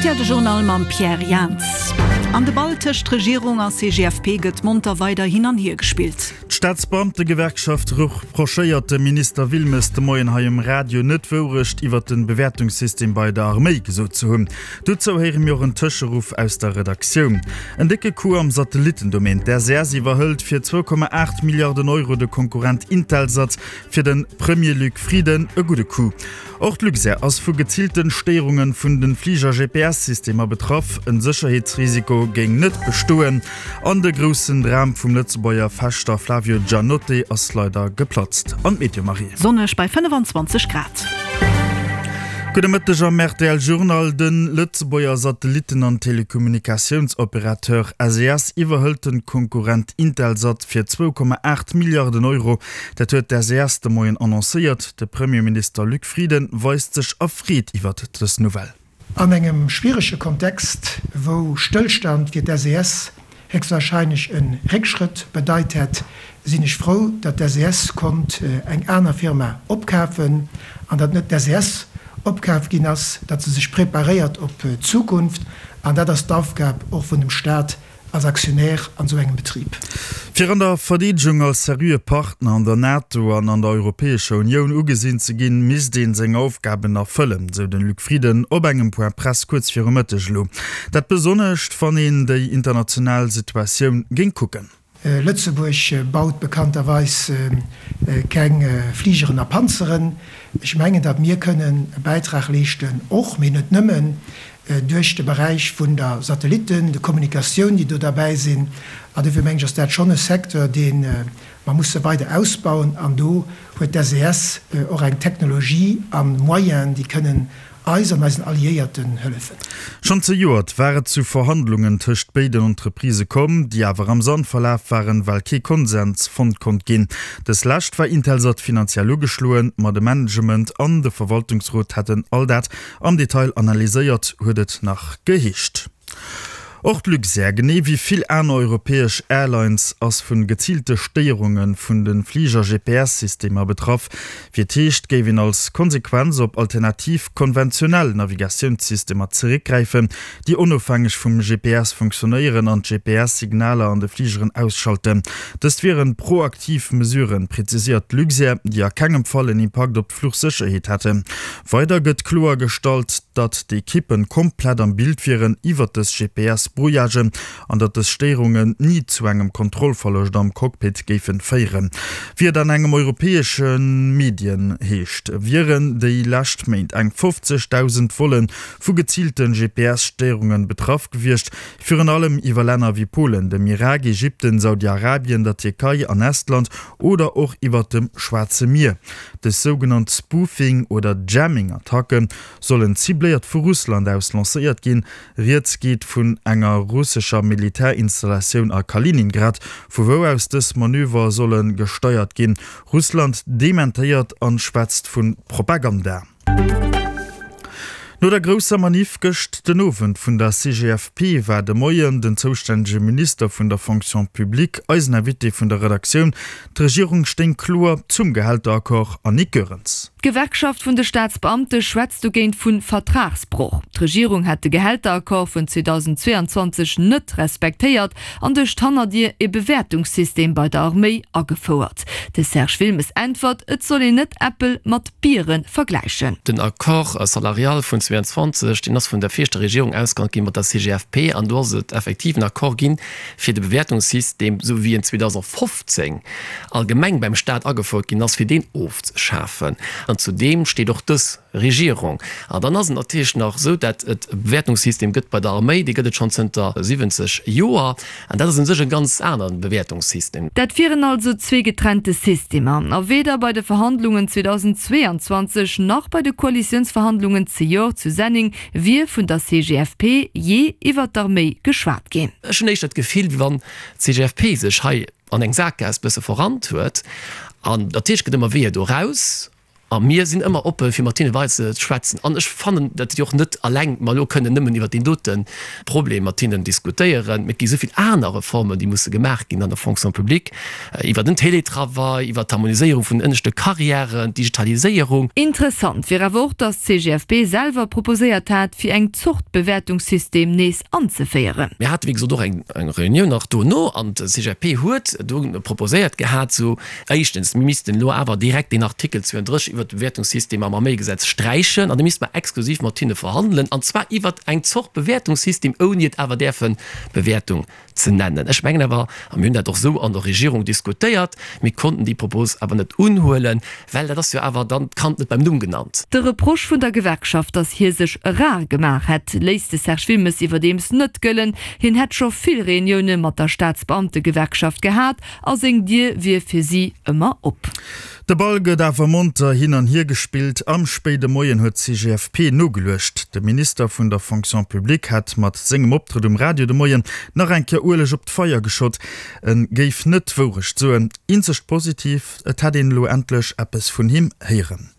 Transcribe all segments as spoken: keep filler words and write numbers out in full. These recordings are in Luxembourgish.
R T L De Journal mam Pierre Jans. An de Ball tëscht Regierung a C G F P gëtt monter weider hin an hier gespillt. D'Staatsbeamtegewerkschaft reprochéiert dem Minister Wilmes de Moien hei um Radio, net d'Wourecht iwwer den Bewäertungssystem bei der Arméi gesot ze hunn. Dozou héiere mir och en Tëscheruff aus der Redaktioun. En décke Coup am Satellittendomaine. D' S E S iwwerhëlt fir zwou Komma aacht Milliarden Euro de Konkurrent Intelsat. Fir de Premier Luc Frieden e gudde Coup. Och d'Luxair ass vu geziilte Stéierunge vun de Fliger-G P S-Systemer betraff. En Sécherheetsrisiko géing net bestoen. An de groussen Dram vum Lëtzebuerger Fechter Flavio Giannotte ass leider geplatzt. An d'Meteo, Marie. Sonneg bei fënnefenzwanzeg Grad. Gudde Mëtteg am R T L Journal. De Lëtzebuerger Satellitten an Telekommunikatiounsoperateur S E S iwwerhëlt de Konkurrent Intelsat fir zwou Komma aacht Milliarden Euro. Dat huet d'S E S de Moien annoncéiert. De Premierminister Luc Frieden weist sech erfreet iwwer dës Nouvelle. An engem schwierege Kontext, wou Stëllstand fir d'S E S héchstwarscheinlech e Réckschrëtt bedeit hätt, sinn ech frou, datt d'S E S konnt eng aner Firma opkafen an datt net d'S E S opkaf ginn ass, datt se sech preparéiert op d'Zukunft, an dat ass d'Aufgab och vun dem Staat als Aktionär an esou engem Betrib. Fir an der Verdeedegung als seriöe Partner an der NATO an an der Europäescher Unioun ugesinn ze ginn, misst een seng Aufgaben erfëllen, sou de Luc Frieden op engem Point Presse kuerz viru Mëtteg elo. Dat besonnesch, wann een déi international Situatioun géing kucken. Lëtzebuerg baut bekannterweis keng Fligeren a Panzeren. Ech mengen, datt mir kënnen e Bäitrag leeschten, och, mee net nëmmen, duerch de Beräich vun der Satellitten, de Kommunikatioun, déi do derbäi sinn. An dofir mengen ech, ass dat schonn e Secteur, dee mer musse weider ausbauen. An do huet d'S E S och eng Technologie a Moyenen, déi kënnen eis an eisen Alliéierten hëllefen. Schonn zejoert war et zu Verhandlungen tëscht béiden Entreprisë komm, déi awer am Sand verlaf waren, well kee Konsens fonnt konnt ginn. Dës Lescht war Intelsat finanziell ugeschloen, ma de Management an de Verwaltungsrot hätten all dat am Detail analyséiert, huet et nach geheescht. Och d'Luxair, genee wéi vill aner europäesch Airlines, ass vu geziilte Stéierunge vun de Fliger-G P S-Systemer betraff. Wéi et heescht, géif een als Konsequenz op alternativ konventionell Navigatiounssystemer zeréckgräifen, déi onofhängeg vum G P S funktionéieren an d'G P S-Signaler an de Fligeren ausschalten. Dëst wieren proaktiv Mesuren, präziséiert d'Luxair, déi a kengem Fall en Impakt op d'Fluchsécherheet hätten. Weider gëtt kloergestallt, datt d'Ekippen komplett am Bild wieren iwwer dës G P S-Brouillagen an datt dës Stéierungen ni zu engem Kontrollverloscht am Cockpit géife féieren. Wéi et an engem europäesche Medien heescht, wieren déi lescht Méint eng fofzegdausend Volle vu geziilte G P S-Stéierunge betraff gewiescht, virun allem iwwer Länner wéi Polen, dem Irak, Ägypten, Saudi-Arabien, der Tierkei an Estland oder och iwwer dem Schwaarze Mier. Dës sougenannt Spoofing- oder Jamming-Attacke sollen cibléiert vu Russland aus lancéiert ginn. Rieds geet vun enger russescher Militärinstallatioun a Kaliningrad, vu wou aus dës Manöver solle gesteiert ginn. Russland dementéiert an schwätzt vu Propaganda. No der grousser Manif gëscht den Owend vun der C G F P war de Moien den zoustännege Minister vun der Fonction publique eisen Invité vun der Redaktioun. D'Regierung stéing kloer zum Gehälteraccord, Annick Goerens. D'Gewerkschaft vun de Staatsbeamte schwätzt dogéint vu Vertragsbroch. D'Regierung hätt de Gehälteraccord vun zweedausendzweeanzwanzeg net respektéiert an duerch d'Hannerdier e Bewäertungssystem bei der Arméi agefouert. De Serge Wilmes äntwert, et soll een net Äppel mat Biere vergläichen. Den Accord salarial vun zweeanzwanzeg, deen ass vun der viregter Regierung ausgehandelt gi mat der C G F P an do ass et effektiv en Accord ginn, fir de Bewäertungssystem, sou wéi en zweedausendfofzéng allgemeng beim Staat agefouert ginn ass, fir deen ofzeschafen. An zu deem steet och dës Regierung. An dann ass et natierlech nach esou, dat et e Bewäertungssystem gëtt bei der Arméi, dee gëtt et schonn zënter siwwenzeg Joer, an dat ass u sech e ganz anere Bewäertungssystem. Dat wieren also zwee getrennte Systemer. A weder bei de Verhandlungen zweedausendzweeanzwanzeg nach bei de Koalitiounsverhandlungen zejoert zu Senneng wier vun der C G F P jee iwwer d'Arméi geschwat ginn. Ech hunn éischter d'Gefill, wéi wann d'C G F P sech hei an eng Sakgaass bësse verrannt huet. An natierlech gëtt ëmmer Weeër do raus. A mir sinn ëmmer oppe fir mat hinne weider ze schwätzen. An ech fannen, datt déi och net alleng mer elo kënnen nëmmen iwwert deen dote Problem mat hinnen diskutéieren. Mee et gi esou vill aner Reformen, déi musse gemaach ginn an der Fonction publique, iwwer den Télétravail, iwwer d'Harmoniséierung vun den ënneschte Carrièren, d'Digitaliséierung. Interessant wier awer och, datt d'CGFP selwer proposéiert hat, fir eng Zort Bewäertungssystem nees anzeféieren. Mir hate wéi gesot och eng Reunioun nach dono an d'CGFP huet do proposéiert gehat, sou éischtens, mir missten elo awer direkt deen Artikel zwouenddrësseg iwwert de Bewäertungssystem am Arméigesetz sträichen an da misste mer exklusiv mat hinne verhandelen, an zwar iwwert eng Zort Bewäertungssystem, ouni et awer däerfe Bewäertung ze nennen. Ech mengen awer, a mir hunn dat och esou an der Regierung diskutéiert, mir konnten déi Propos awer net unhuelen, well dat ass jo awer dann d'Kand net beim Numm genannt. De Reproche vun der Gewerkschaft, datt hie sech rar gemaach hätt, léisst de Serge Wilmes iwwerdeems net gëllen. Hien hätt scho vill Reunioune mat der Staatsbeamtegewerkschaft gehat a seng Dier wier fir si ëmmer op. De Ball gëtt awer monter hin an hier gespillt. Am spéide Moien huet d'CGFP nogeluecht. De Minister vun der Fonction publique hätt mat sengem Optrëtt um Radio de Moien nach eng Kéier Ueleg op d'Feier geschott. En géif net d'Wourecht soen. Eenzegt Positivt, et hätt een elo endlech eppes vun him héieren.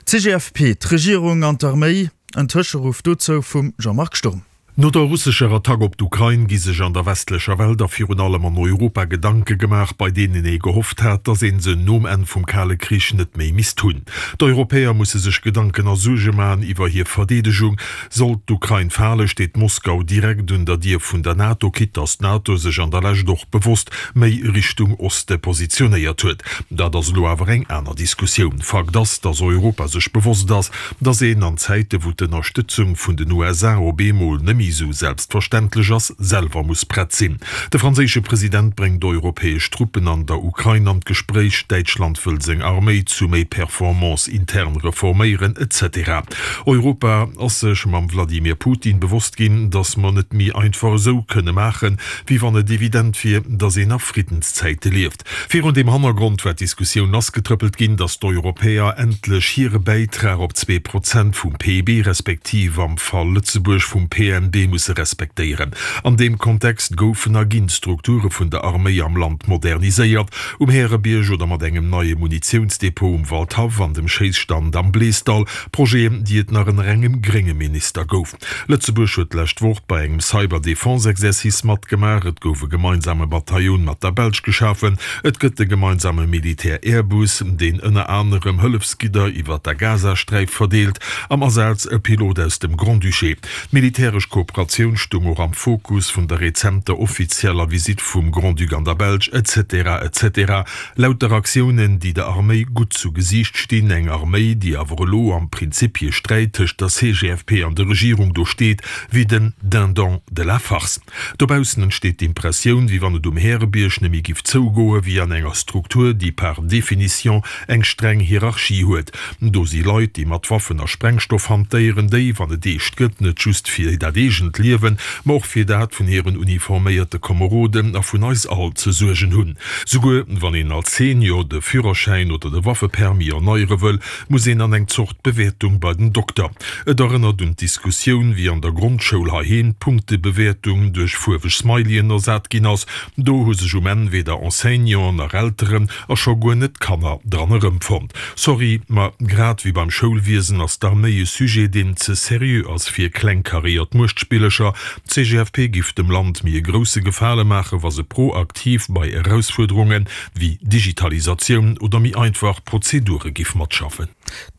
D'CGFP, d'Regierung an d'Arméi, en Tëscheruff dozou vum Jean-Marc Sturm. No der russescher Attack op d'Ukrain gi sech an der westlecher Welt a virun allem an Europa Gedanke gemaach, bei deenen ee gehofft hat, datt ee se nom Enn vum Kale Krich net méi misst hunn. D'Europäer musse sech Gedanken a Suerge maachen iwwer hir Verdeedegung. Sollt d'Ukrain fale, steet Moskau direkt un der Dier vun der NATO, quitte datt d'NATO sech an der Lescht och bewosst méi Richtung Oste positionéiert huet. Dat ass elo awer eng aner Diskussioun. Fakt ass, datt Europa sech bewosst ass, datt een an Zäite wou d'Ënnerstëtzung vun den U S A op eemol nëmme sou selbstverständlech ass, selwer muss prett sinn. De franséische President bréngt europäesch Truppen an der Ukrain an d'Gespréich, Däitschland wëll seng Arméi zu méi Performance intern reforméieren, et cetera. Europa ass sech mam Vladimir Putin bewosst ginn, datt mer net méi einfach esou kënne maachen, wéi wann et evident wier, datt een a Friddenszäite lieft. Virun deem Hannergrond war d'Diskussioun lassgetrëppelt ginn, datt d'Europäer endlech hire Bäitrag op zwee Prozent vum P I B, respektiv am Fall Lëtzebuerg vum P N B musse respektéieren. An deem Kontext goufen a ginn d'Strukture vun der Arméi am Land moderniséiert, um Härebierg oder mat engem neie Munitiounsdepot um Waldhaff an dem Schéisstand am Bleesdall, Projeten, déi et nach ënner engem grénge Minister gouf. Lëtzebuerg huet d'lescht Woch bei engem Cyber-Defense-Exercice matgemaach, et gouf e gemeinsame Bataillon mat der Belsch geschafen, et gëtt e gemeinsame Militär-Airbus, deen ënner anerem Hëllefsgidder iwwer der Gazasträif verdeelt, am Asaz e Pilot aus dem Grand-Duché. D'militäresch Kooperatioun stung och am Fokus vun der rezenter offizieller Visitt vum Grand-Duc an der Belsch, et cetera et cetera. Lauter Aktiounen, déi der Arméi gutt zu Gesiicht stinn, eng Arméi, déi awer elo am Prinzippie-Sträit tëscht der C G F P an der Regierung do steet wéi den Dindon de la farce. Dobaussen entsteet d'Impressioun, wéi wann et um Härebierg nëmme giff zougoe wéi an enger Struktur, déi par définition eng streng Hierarchie huet. Do si Leit, déi mat Waffen a Sprengstoff hantéieren, déi, wann et eescht gëtt, net just fir dat eegent Liewen, ma och fir dat vun hiren uniforméierte Komeroden a vun eis all ze suergen hunn. Souguer wann een als Senior de Führerschäin oder de Waffepermis erneiere wëll, muss een an eng Zort Bewäertung bei den Dokter. Et erënnert un d'Diskussioun, wéi an der Grondschoul heiheem d'Punktebewäertung duerch fuerweg Smileyen ersat ginn ass. Do hu sech um Enn weder Enseignanten nach Elteren a scho guer net d'Kanner dran erëmfonnt. Sorry, ma grad wéi beim Schoulwiesen ass d'Arméi e Sujet, deen ze seriö ass fir klengkaréiert Muechtspillercher. D'C G F P giff dem Land méi e grousse Gefale maachen, wa se proaktiv bei Erausfuerderunge wéi Digitalisatioun oder méi einfach Prozedure giff matschaffen.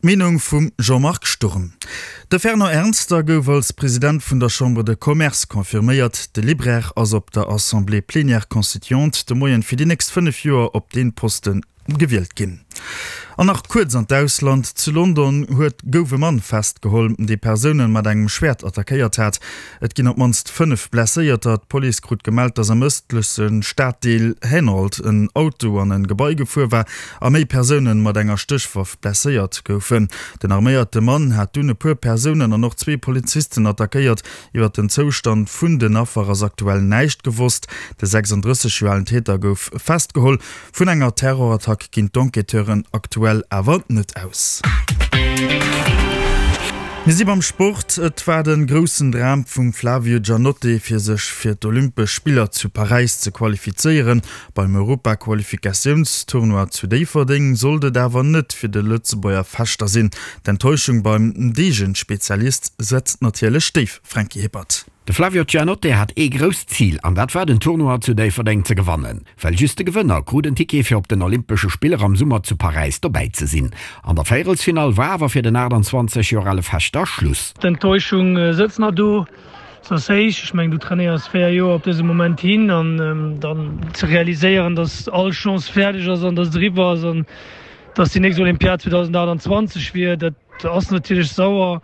D'Meenung vum Jean-Marc Sturm. De Fernand Ernster gouf als President vun der Chambre de Commerce confirméiert. De Libraire ass op der Assemblée plénière constituante de Moien fir déi nächst fënnef Joer op dee Posten gewielt ginn. An nach kuerz an d'Ausland. Zu London huet gouf e Mann festgeholl, dee Persoune mat engem Schwäert attackéiert hat. Et ginn op d'mannst fënnef Blesséierter. D'Police krut gemellt, datt am ëstleche Staddeel Hainault en Auto an e Gebai gefuer war a méi Persoune mat enger Stéchwaff blesséiert goufen. Den arméierte Mann hat dunn e puer Persounen an och zwee Polizisten attackéiert. Iwwer den Zoustand vun den Affer ass aktuell näischt gewosst. De sechsandrësseg Joer alen Täter gouf festgeholl. Vun enger Terrorattack ginn d'Enquêteuren aktuell awer net aus. Mir si beim Sport. Et war de groussen Dram vum Flavio Giannotte fir sech fir d'Olympesch Spiller zu Paräis ze qualifizéieren. Beim Europaqualifikatiounstournoi zu Déifferdeng sollt et awer net fir de Lëtzebuerger Fechter sinn. D'Enttäuschung beim Deegen-Spezialist setzt natierlech déif, Franky Hippert. De Flavio Giannotte hat ee grousst Zil an dat war den Tournoi zu Déifferdeng ze gewannen. Well just de Gewënner krut en Ticket fir op den Olympesche Spiller am Summer zu Paräis dobäi ze sinn. An der Véierelsfinall war awer fir den achtundzwanzeg Joer ale Fechter Schluss. D'Enttäuschung sëtzt nach do, se ass héich. Ech mengen, du trainéiers véier Joer op dëse Moment hin an dann ze realiséieren, dass all Chance fäerdeg ass an dass et eriwwer ass an dass déi nächst Olympiad zweedausendachtundzwanzeg wier, dat ass natierlech sauer.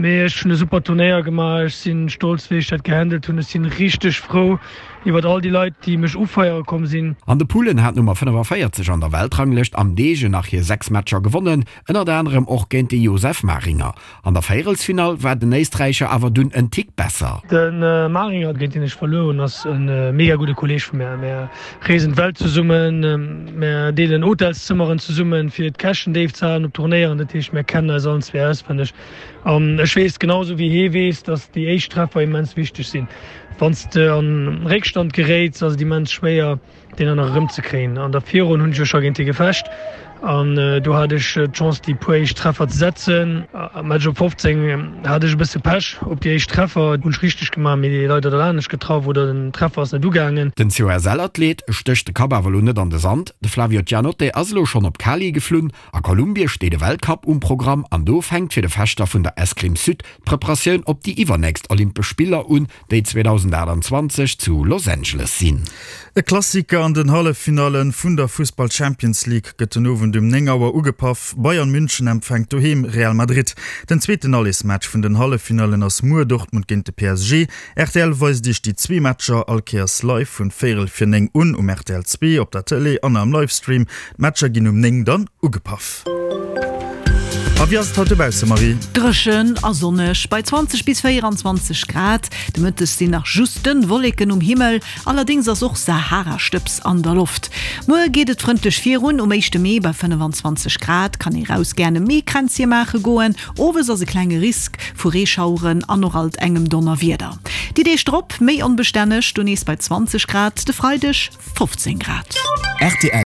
Mee ech hunn e super Turnéier gemaach, ech si stolz wéi ech dat gehandelt hunn, ech si richteg frou iwwert all déi Leit déi mech ufeiere komm sinn. An de Pullen hat d'Nummer fënnefaféierzeg an der Weltranglëscht am Degen nach hir sechs Matcher gewonnen, ënnert anerem och géint de Josef Maringer. An der Véierelsfinall war den Éisträicher awer dunn en Tick besser. De Maringer, géint deen ech verluer hunn, ass e mega gudde Kolleeg vu mär. Mär reesen d'Welt zesummen, mär deelen Hotelszëmmeren zesummen, fir d'Käschten déif ze halen op Turnéieren. Dat heescht, mär kennen eis allen zwee auswenneg. An ech weess genau esou wéi hee weess, datt déi éischt Treffer immens wichteg sinn. Wann s de an Réckstand geréits, ass et immens schwéier, deen dann nach erëmzekréien. An der Virronn hunn ech jo scho géint hie gefecht an do hat ech d'Chance, déi puer éischt Treffer ze setzen. Am Match op fofzéng hat ech e bësse Pech op déi éischt Treffer, hunn ech richteg gemaach, mee leider der anescht getraff oder den Treffer ass net ugaangen. Den C O S L-Athlet stécht de Kapp awer elo net an de Sand. De Flavio Giannotte ass elo schonn op Cali geflunn. A Kolumbie steet e Weltcup um Programm an do fänkt fir de Fechter vun der Escrime Sud d'Preparatioun op déi iwwernächst Olympesch Spiller un, déi zweedausendachtundzwanzeg zu Los Angeles sinn. E Klassiker an den Halleffinalle vun der Fussball-Champions League gëtt den Owend um néng Auer ugepaff. Bayern München empfänkt doheem Real Madrid. Den zweeten Allesmatch vun den Halleffinallen ass muer Dortmund géint de P S G. R T L weist Iech déi zwee Matcher all Kéiers live vun véierel vir néng un um R T L zwee, op der Tëlee an am Livestream. D'Matcher ginn um néng dann ugepaff. A wéi ass et haut dobausse, Marie? Dréchen a sonneg bei zwanzeg bis véieranzwanzeg Grad. De Mëtteg sinn nach just dënn Wolleken um Himmel, allerdéngs ass och Saharastëbs an der Loft. Muer geet et frëndlech virun, um éischte Mee bei fënnefanzwanzeg Grad kann ee raus gären e Meekränzche maache goen. Owes ass e klenge Risk vu Reeschaueren an och alt engem Donnerwieder. Déi Deeg drop méi onbestänneg, do nees bei zwanzeg Grad, de Freideg fofzéng Grad. R T L.